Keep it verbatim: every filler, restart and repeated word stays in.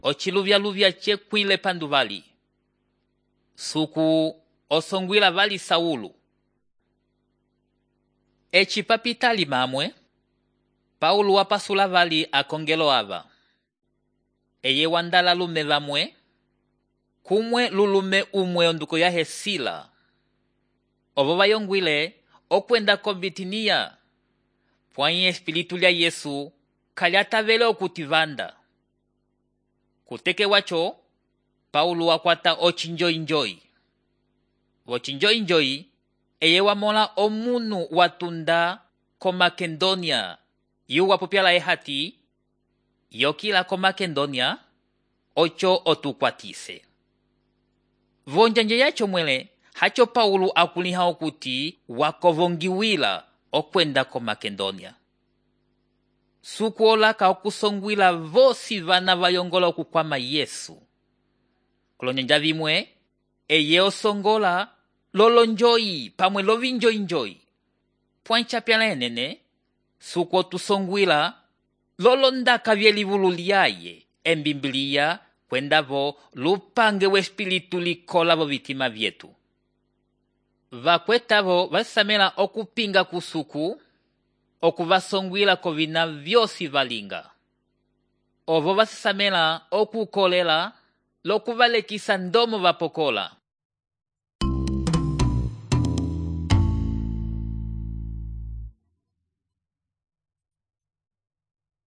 ociluvyaluvya cekwile pandu vali. Suku osongwila vali Saulu. Eci papitali mamwe, Paulo wapasula vali akongelo ava. Eye wandala lume vamwe, kumwe lulume umwe onduko yahe Sila. Ovo vayongwile okwenda ko Bitinia, pwanyi espiritu lya Yesu kalyatavele okutivanda. Kuteke wacho, Paulo wakwata ochinjoinjoi. Vochinjoinjoi, eye wamola omunu watunda ko Makedonia, yu wapopyala ehati, yokila ko Makedonia, ocho otukwatise. Vonjanje yacho mwele, hacho Paulo akuliha okuti wakovongiwila okwenda ko Makedonia. Suku olaka okusongwila vosi vana vayongola okukwama Yesu. Kulonjanja vimwe, eye osongola lolonjoi pamwe lovinjoinjoi. Pwanchapyala enene, suku otusongwila lolondaka vyelivulu lyaye embimbilia kwendavo lupange wespiritu likola vo vitima vyetu. Vakwetavo vasamela okupinga kusuku, okuvasongwila kovina vyosi valinga. Ovo vasamela okukolela lokuvalekisa ndomo vapokola.